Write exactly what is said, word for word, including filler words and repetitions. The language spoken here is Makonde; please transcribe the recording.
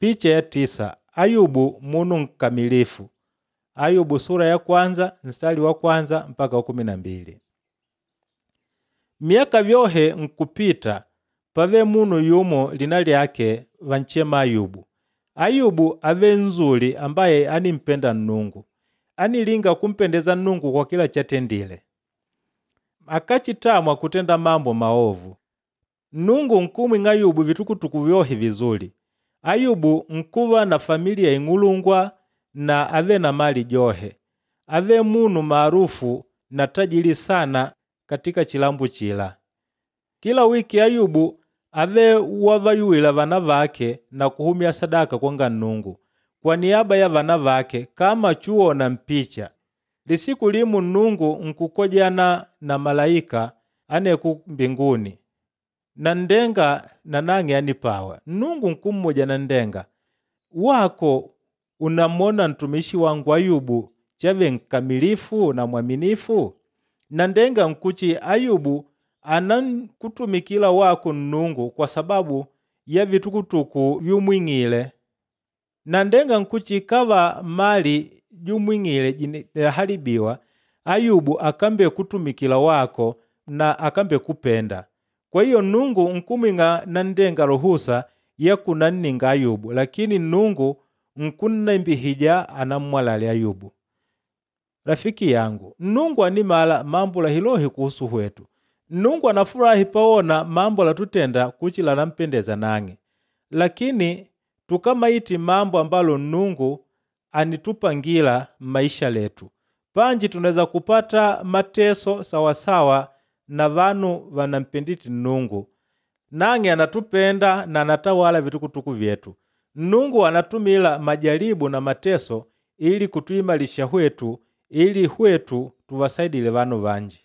Picha ya tisa Ayubu munu nkamilifu. Ayubu sura ya kwanza mstari wa kwanza mpaka wa kumi na mbili. Miaka vyohe nkupita pave munu yumo lina lyake vanchema Ayubu. Ayubu ave nzuli ambaye animpenda Nnungu. Anilinga kumpendeza Nnungu kwa kila chatendile. Akachitamwa kutenda mambo maovu. Nnungu nkumwing'a Ayubu vitukutuku vyohe vizuli. Ayubu nkuva na familia ing'ulungwa na ave na mali johe. Ave munu maarufu na tajili sana katika chilambu chila. Kila wiki Ayubu ave wavayuwila vana vake na kuhumya sadaka kwanga Nnungu kwa niaba ya vana vake kama chuona mpicha. Lisiku limu Nnungu nkukojana na malaika aneku mbinguni. Na ndenga nanang'e anipawa. Nnungu nkummuja na ndenga, wako unamwona ntumishi wangu Ayubu chave nkamilifu na mwaminifu? Na ndenga nkuchi Ayubu anankutumikila wako Nnungu kwa sababu ya vitukutuku vyumwing'ile. Na ndenga nkuchi kava mali jumwing'ile jinahalibiwa, Ayubu akambe kutumikila wako na akambe kupenda. Kwa hiyo Nnungu nkumwing'a na ndenga ruhusa ya kunanninga Ayubu, lakini Nnungu nkunnembihija anammwalale Ayubu. Rafiki yangu, Nnungu animala mambo lahilohi kuhusu hwetu. Nnungu anafurahi pawona mambo latutenda kuchila nampendeza nang'e. Lakini tukamaiti mambo ambalo Nnungu anitupangila maisha letu. Panji tunaweza kupata mateso sawasawa na vanu vanampenditi Nnungu. Nang'e anatupenda na anatawala vitukutuku vyetu. Nnungu anatumila majaribu na mateso ili kutuimalisha hwetu ili hwetu tuwasaidile vanu vanji.